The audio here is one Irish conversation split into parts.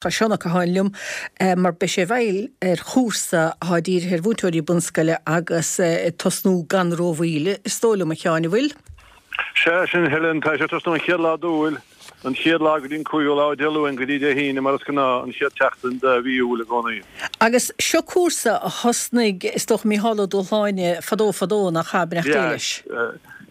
Tá Seán Ó Catháin liom mar beidh sé i bhfeighil ar chúrsa atá dírithe ar mhúinteoirí bunscoile agus ag tosnú gan rómhoill, is dóigh liom, a Sheáin, an bhfuil? Sea, sin Helen, tá sé ag tosnú an chéad lá d'Iúil, an chéad lá go dtí an cúigiú lá, Dé Luain go dtí Dé hAoine mar is gnáth, an chéad tseachtain de mhí Iúil i gcónaí. Agus seo cúrsa a thosnaigh, is dócha, Mícheál Ó Dúshláine fadó fadó, nach ea, beannacht Dé leis?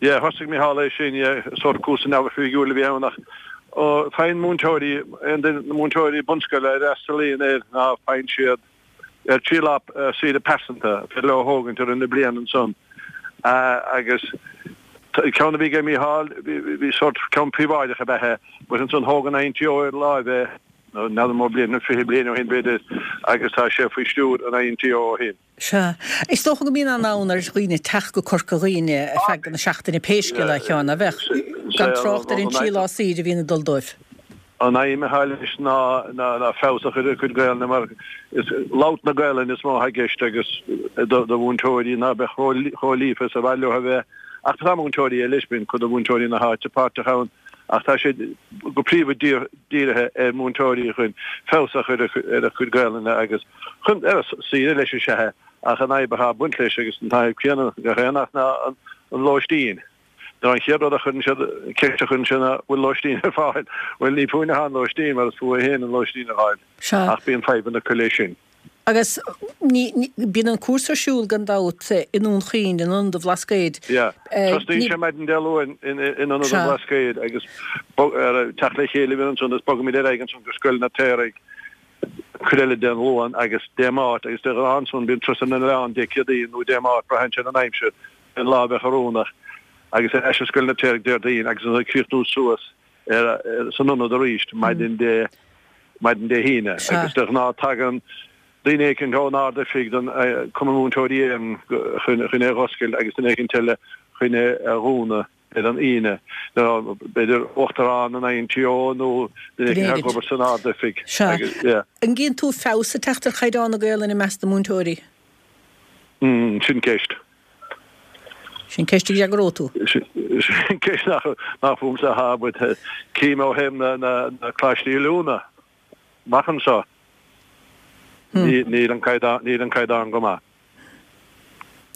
Yeah, thosaigh Mícheál é sin, yeah, sórt cúrsa neamhoifigiúil a bhí ann ach Faigheann múinteoirí, aon duine, na múinteoirí bunscoile a fhreastalaíonn air ná faigheann siad ar 3 lá saoire pearsanta, féidir leo a thógaint i rith na bliana ansan. Agus ceann a bhí ag Mícheál, bhí sórt ceann príobháideach ab ea é, but ansan thóg an INTO ar láimh é, n'fheadar an mó bliain, 20 bliain ó shin b'fhéidir, agus tá sé faoi stiúir an INTO ó shin. Sea. Is dócha go mbíonn an-fhonn ar dhaoine teacht go Corca Dhuibhne ar feadh na seachtaine pé scéal é, a Sheáin, ná beadh? Gan trácht ar an 3 lá saoire a bhíonn ag dul dóibh. An aidhm atá leis ná feabhas a chur ar a gcuid Gaelainne mar is labhairt na Gaelainne is mó atá i gceist agus do mhúinteoirí ná beadh chomh líofa is a ba mhaith leo a bheith. Ach tá múinteoirí eile, bíonn cuid de mhúinteoirí na háite páirteach ann ach tá sé go príomha dírithe ar mhúinteoirí chun feabhas a chur ar a gcuid Gaelainne agus chun, ar saoire leis is ea é, ach an fhadhb atá ag baint leis agus an fhadhb chéanna gach aon áit ná an lóistín. Nó an chéad rud a chuireann siad, ceist a chuireann siad ná bhfuil lóistín ar fáil? Bhuel ní fúinne atá an lóistín mar is fúthu féin an lóistín a fháil. Sea. Ach bíonn fadhbanna acu leis sin. Agus ní, ní, bíonn an cúrsa ar siúl gan dabht i nDún Chaoin, in Ionad an Bhlascaoid. Yeah. Tosnaíonn sé maidin Dé Luain in Ionad an Bhlascaoid agus teacht le chéile a bhíonn ansan agus bogaimid ar aghaidh ansan go Scoil na Piaraigh. Cuid eile den Luan agus Dé Máirt agus de ghnáth ansan bíonn turas ar na n-oileán Dé Céadaoin nó Dé Máirt, braitheann sé ar an aimsir, an lá a bheadh oiriúnach, agus ar ais i Scoil na Piaraigh Déardaoin agus ansan ag críochnú suas ar san ionad arís maidin Dé maidin Dé hAoine agus de ghnáth tagann duine éicint ón Ard-Oifig den Cumann Múinteoirí Éireann chun chun é a dh'oscailt agus duine éicint eile chun é a dhúnadh. ar an Aoine, nó b'fhéidir Uachtarán an INTO nó duine éicint ag obair san Ard-Oifig. Sea. An gcíonn tú feabhas ag teacht ar chaighdeán na Gaelainne i measc na múinteoirí? Mm, sin ceist. Sin ceist a d'fhreagróidh tú. Sin ceist nach nach fúmsa atá, but cím ó thaobh na na coláistí oiliúna amach anseo, níl an caighdeán níl an caighdeán go maith.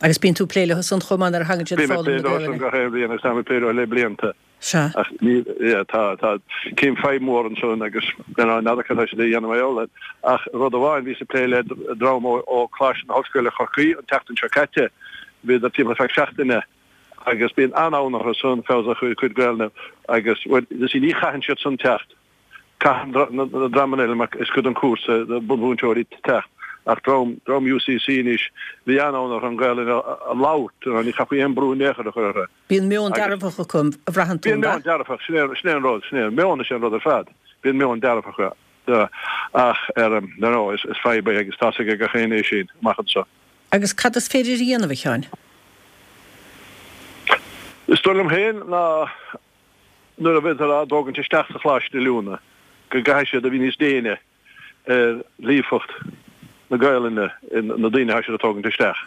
Agus bíonn tú ag plé leo san chomh maith nuair a thagann siad ag foghlaim na Gaelainne. Bím ag plé leo san gach aon bhliain agus táim ag plé leo le blianta. Sea. Ach ní, yeah, tá, tá, cím fadhb mhór ansan agus n'fheadar cad tá siad a dhéanamh mar gheall air. Ach rud amháin, bhíos ag plé le dream ó, ó Coláiste na hOllscoile Chorcaí an tseachtain seo caite, bhíodar timpeall ar feadh seachtaine agus bíonn an-fhonn orthu san feabhas a chur ar a gcuid Gaelainne agus, bhuel, you see, ní chaitheann siad san teacht. Caitheann na dreamanna eile mar is cuid den chúrsa do bunmhúinteoirí teacht ach dream dream UCC anois bhí an-fhonn orthu an Ghaelainn a labhairt, ní chaithfí aon brú in aon chor a chur orthu. Bíonn meon dearfach acu a bhraitheann tú, Bíonn meon dearfach, sin é sin é an rud, sin é, meon is é an rud ar fad, bíonn meon dearfach acu ach ar ndóigh is fadhb é agus tá's ag gach éinne é sin amach anseo. Agus cad is féidir a dhéanamh, a Sheáin? Is dóigh liom féin ná nuair a bheidh á dtógaint isteach sa choláiste oiliúna, go gcaithfidh siad a bheith níos déine ar líofacht na Gaelainne na daoine atá siad a tógaint isteach.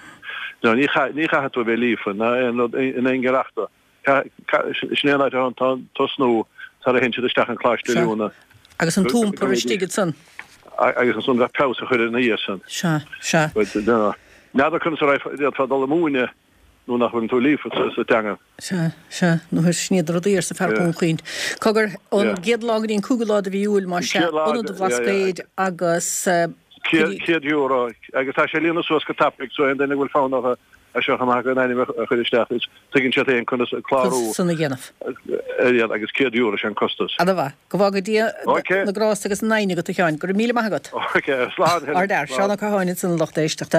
Ní chaithfidh tú a bheith líofa ná aon rud in aon chor ach sin é an áit atá tosnú tar a théann siad isteach an coláiste oiliúna. Agus an t-iompar istigh ansan. Agus ansan bheadh feabhas a chur ina dhiaidh san. Sea, sea. N'fheadar conas a d'fhéadfá dul ag múineadh nuair nach bhfuileann tú líofa sa teanga. Sea, sea, nó sin iad na rudaí, arsa fear Dhún Chaoin. Cogar, ón gcéad lá go dtí an cúigiú lá de mhí Iúil, más ea, Ionad an Bhlascaoid agus. €100, agus tá sé ag líonadh suas go tapaidh, so aon duine a bhfuil fonn orthu é seo chomh maith a n-ainm a chur isteach, is tuigeann siad féin conas clárú. Conas san a dhéanamh. Ar agus €100 is é an costas. Ana mhaith. Go bhfága Dia na grásta agus an fhoighne agat, a Sheáin. Go raibh míle maith agat. Ok, slán. Ardfhear. Seán Ó Catháin ansan a lucht éisteachta.